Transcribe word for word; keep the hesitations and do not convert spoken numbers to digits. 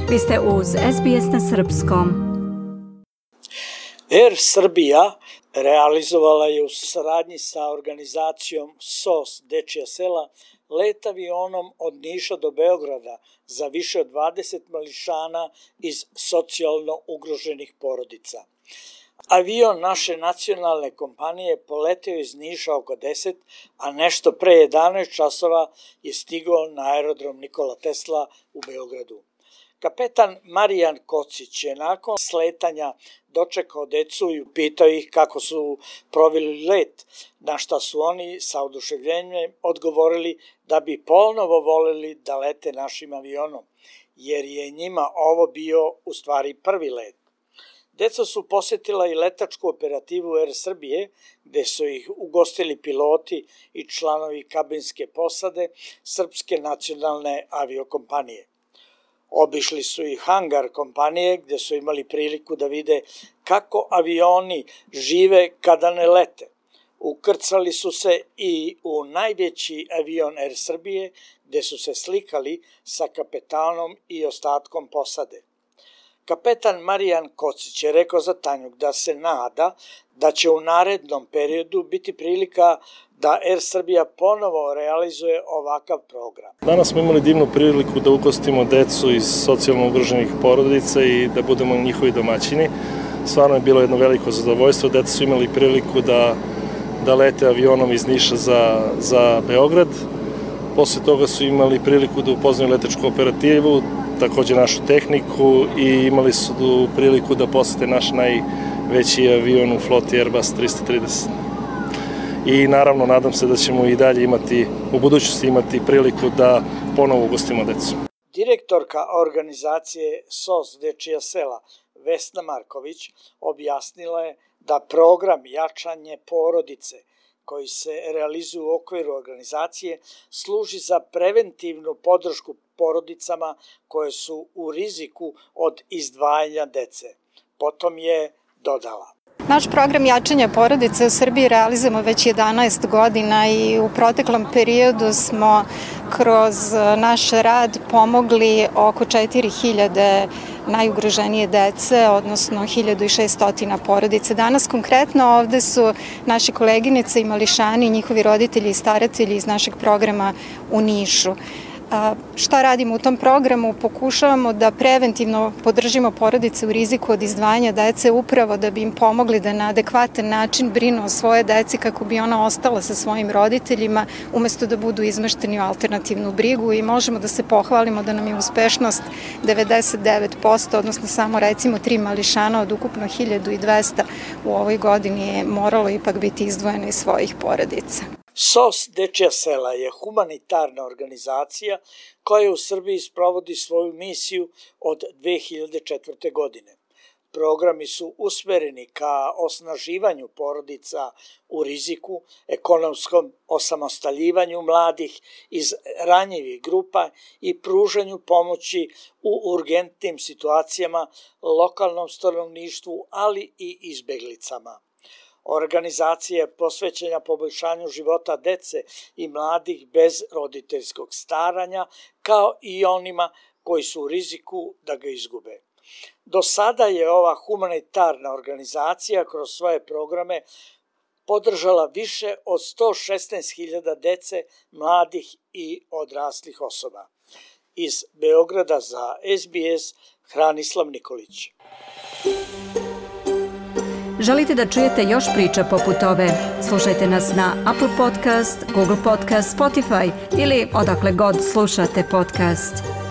Vi ste uz S B S na srpskom. Air Srbija realizovala je u saradnji sa organizacijom S O S Dečija sela let avionom od Niša do Beograda za više od dvadeset mališana iz socijalno ugroženih porodica. Avion naše nacionalne kompanije poletio iz Niša oko deset, a nešto pre jedanaest časova je stigao na aerodrom Nikola Tesla u Beogradu. Kapetan Marijan Kocić je nakon sletanja dočekao decu i upitao ih kako su proveli let, na šta su oni sa oduševljenjem odgovorili da bi ponovo voleli da lete našim avionom, jer je njima ovo bio u stvari prvi let. Deca su posetila i letačku operativu Air Srbije, gde su ih ugostili piloti i članovi kabinske posade Srpske nacionalne aviokompanije. Obišli su i hangar kompanije gde su imali priliku da vide kako avioni žive kada ne lete. Ukrcali su se i u najveći avion Air Srbije gde su se slikali sa kapetanom i ostatkom posade. Kapetan Marijan Kocić je rekao za Tanjuk da se nada da će u narednom periodu biti prilika da Air Srbija ponovo realizuje ovakav program. Danas smo imali divnu priliku da ugostimo decu iz socijalno ugroženih porodica i da budemo njihovi domaćini. Stvarno je bilo jedno veliko zadovoljstvo. Deca su imali priliku da, da lete avionom iz Niša za, za Beograd. Posle toga su imali priliku da upoznaju letačku operativu, takođe našu tehniku i imali su priliku da posete naš najveći avion u floti Airbus trista trideset. I naravno nadam se da ćemo i dalje imati, u budućnosti imati priliku da ponovo ugostimo decu. Direktorka organizacije S O S Dečija sela Vesna Marković objasnila je da program jačanje porodice koji se realizuje u okviru organizacije služi za preventivnu podršku porodicama koje su u riziku od izdvajanja dece. Potom je dodala. Naš program jačanja porodice u Srbiji realizujemo već jedanaest godina i u proteklom periodu smo kroz naš rad pomogli oko četiri hiljade najugroženije dece, odnosno hiljadu šesto porodice. Danas konkretno ovde su naši koleginice i mališani, njihovi roditelji i staratelji iz našeg programa u Nišu. A, šta radimo u tom programu? Pokušavamo da preventivno podržimo porodice u riziku od izdvajanja dece upravo da bi im pomogli da na adekvatan način brinu o svoje deci kako bi ona ostala sa svojim roditeljima umesto da budu izmešteni u alternativnu brigu i možemo da se pohvalimo da nam je uspešnost devedeset devet posto, odnosno samo recimo tri mališana od ukupno hiljadu dvesta u ovoj godini je moralo ipak biti izdvojeno iz svojih porodica. S O S Dečija sela je humanitarna organizacija koja u Srbiji sprovodi svoju misiju od dve hiljade četvrte. godine. Programi su usmereni ka osnaživanju porodica u riziku, ekonomskom osamostaljivanju mladih iz ranjivih grupa i pružanju pomoći u urgentnim situacijama lokalnom stanovništvu, ali i izbeglicama. Organizacija je posvećena poboljšanju života dece i mladih bez roditeljskog staranja, kao i onima koji su u riziku da ga izgube. Do sada je ova humanitarna organizacija kroz svoje programe podržala više od sto šesnaest hiljada dece, mladih i odraslih osoba. Iz Beograda za S B S, Hranislav Nikolić. Želite da čujete još priča poput ove? Slušajte nas na Apple Podcast, Google Podcast, Spotify ili odakle god slušate podcast.